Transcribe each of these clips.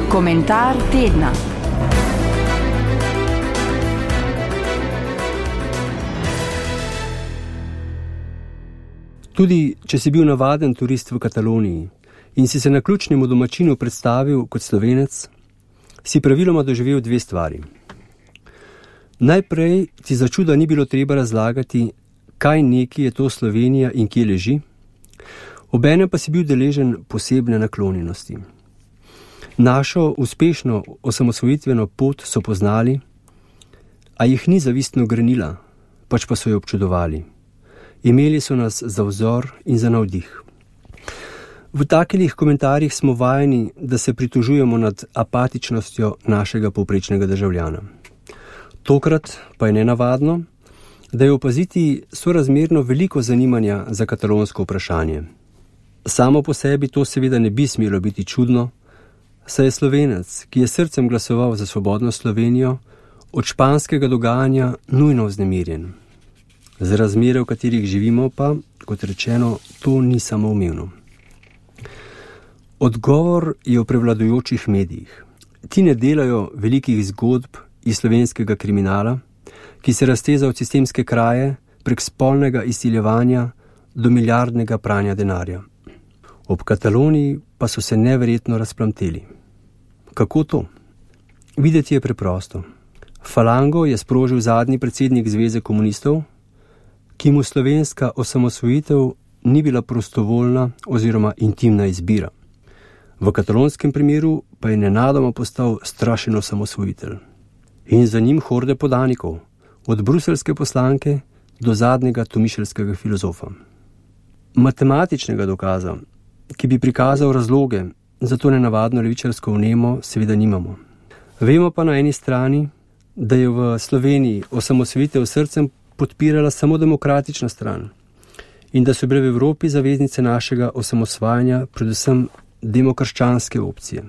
Komentar tedna. Tudi če si bil navaden turist v Kataloniji in si se naključnemu domačinu predstavil kot Slovenec, si praviloma doživel dve stvari. Najprej ti za čuda ni bilo treba razlagati, kaj neki je to Slovenija in kje leži, obenem pa si bil deležen posebne naklonjenosti. Našo uspešno osamosvojitveno pot so poznali, a jih ni zavistno grenila, pač pa so jo občudovali. Imeli so nas za vzor in za navdih. V takih komentarjih smo vajeni, da se pritožujemo nad apatičnostjo našega povprečnega državljana. Tokrat pa je nenavadno, da je opaziti sorazmerno veliko zanimanja za katalonsko vprašanje. Samo po sebi to seveda ne bi smelo biti čudno, saj je Slovenec, ki je srcem glasoval za svobodno Slovenijo, od španskega dogajanja nujno vznemirjen. Za razmere, v katerih živimo pa, kot rečeno, to ni samoumevno. Odgovor je v prevladujočih medijih. Ti ne delajo velikih zgodb iz slovenskega kriminala, ki se razteza od sistemske kraje prek spolnega izsiljevanja do milijardnega pranja denarja. Ob Kataloniji pa so se neverjetno razplamteli. Kako to? Videti je preprosto. Falango je sprožil zadnji predsednik Zveze komunistov, ki mu slovenska osamosvojitev ni bila prostovoljna oziroma intimna izbira. V katalonskem primeru pa je nenadoma postal strašen osamosvojitelj. In za njim horde podanikov, od bruseljske poslanke do zadnjega tomišljskega filozofa. Matematičnega dokaza, ki bi prikazal razloge za to nenavadno levičarsko vnemo, seveda nimamo. Vemo pa na eni strani, da je v Sloveniji osamosvojitev srcem podpirala samo demokratična stran in da so bile v Evropi zaveznice našega osamosvajanja predvsem demokrščanske opcije.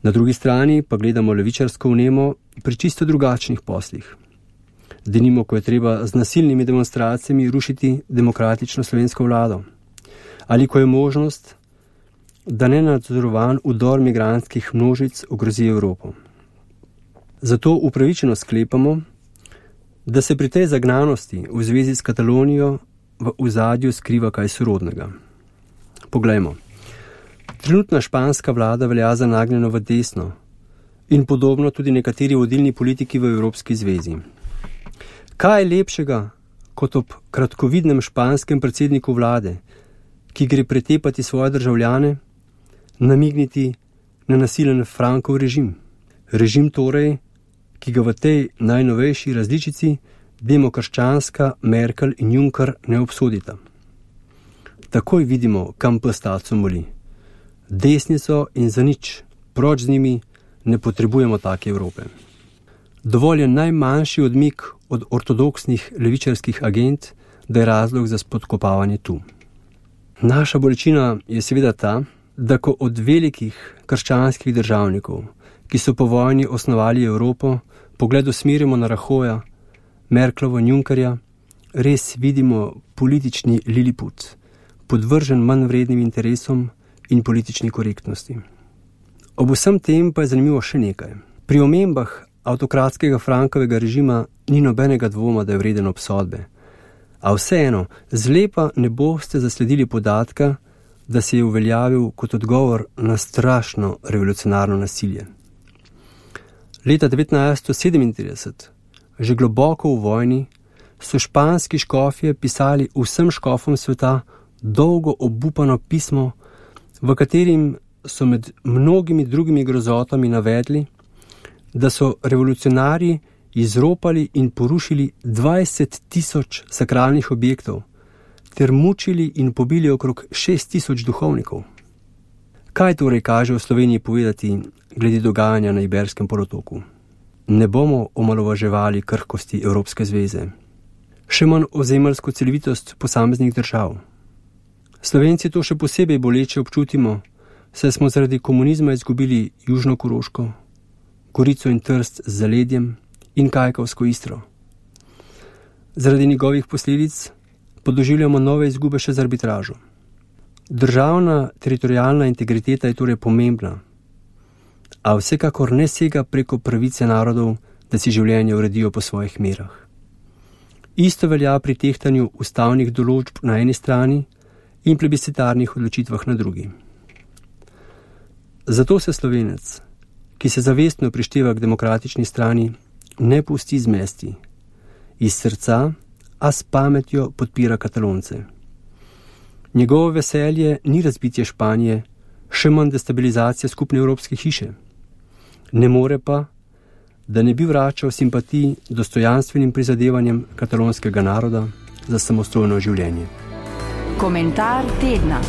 Na drugi strani pa gledamo levičarsko vnemo pri čisto drugačnih poslih. Denimo, ko je treba z nasilnimi demonstracijami rušiti demokratično slovensko vlado, ali ko je možnost, da nenadzorovan vdor migrantskih množic ogrozi Evropo. Zato upravičeno sklepamo, da se pri tej zagnanosti v zvezi s Katalonijo v ozadju skriva kaj sorodnega. Poglejmo. Trenutna španska vlada velja za nagnjeno v desno in podobno tudi nekateri vodilni politiki v Evropski zvezi. Kaj je lepšega kot ob kratkovidnem španskem predsedniku vlade, ki gre pretepati svoje državljane, namigniti na nasilen Frankov režim? Režim torej, ki ga v tej najnovejši različici demokrščanska Merkel in Juncker ne obsodita. Takoj vidimo, kam pes taco moli. Desnico in za nič, proč z njimi, ne potrebujemo take Evrope. Dovolj je najmanjši odmik od ortodoksnih levičarskih agent, da je razlog za spodkopavanje tu. Naša bolečina je seveda ta, da ko od velikih krščanskih državnikov, ki so po vojni osnovali Evropo, pogled usmerimo na Rajoja, Merklovo in Junckerja, res vidimo politični liliput, podvržen manj vrednim interesom in politični korektnosti. Ob vsem tem pa je zanimivo še nekaj. Pri omembah avtokratskega Frankovega režima ni nobenega dvoma, da je vreden obsodbe. A vseeno, zlepa ne boste zasledili podatka, da se je uveljavil kot odgovor na strašno revolucionarno nasilje. Leta 1937, že globoko v vojni, so španski škofje pisali vsem škofom sveta dolgo obupano pismo, v katerim so med mnogimi drugimi grozotami navedli, da so revolucionarji izropali in porušili 20.000 sakralnih objektov ter mučili in pobili okrog 6.000 duhovnikov. Kaj torej kaže v Sloveniji povedati glede dogajanja na Iberskem polotoku? Ne bomo omalovaževali krhkosti Evropske zveze, še manj ozemeljsko celovitost posameznih držav. Slovenci to še posebej boleče občutimo, saj smo zaradi komunizma izgubili Južno Koroško, Gorico in Trst z zaledjem in Kajkavsko Istro. Zaradi njegovih posledic podoživljamo nove izgube še z arbitražo. Državna teritorialna integriteta je torej pomembna, a vsekakor ne sega preko pravice narodov, da si življenje uredijo po svojih merah. Isto velja pri tehtanju ustavnih določb na eni strani in plebiscitarnih odločitvah na drugi. Zato se Slovenec, ki se zavestno prišteva k demokratični strani, ne pusti zmesti. Iz srca, a s pametjo podpira Katalonce. Njegovo veselje ni razbitje Španije, še manj destabilizacija skupne evropske hiše. Ne more pa, da ne bi vračal simpatij dostojanstvenim prizadevanjem katalonskega naroda za samostojno življenje. Komentar tedna.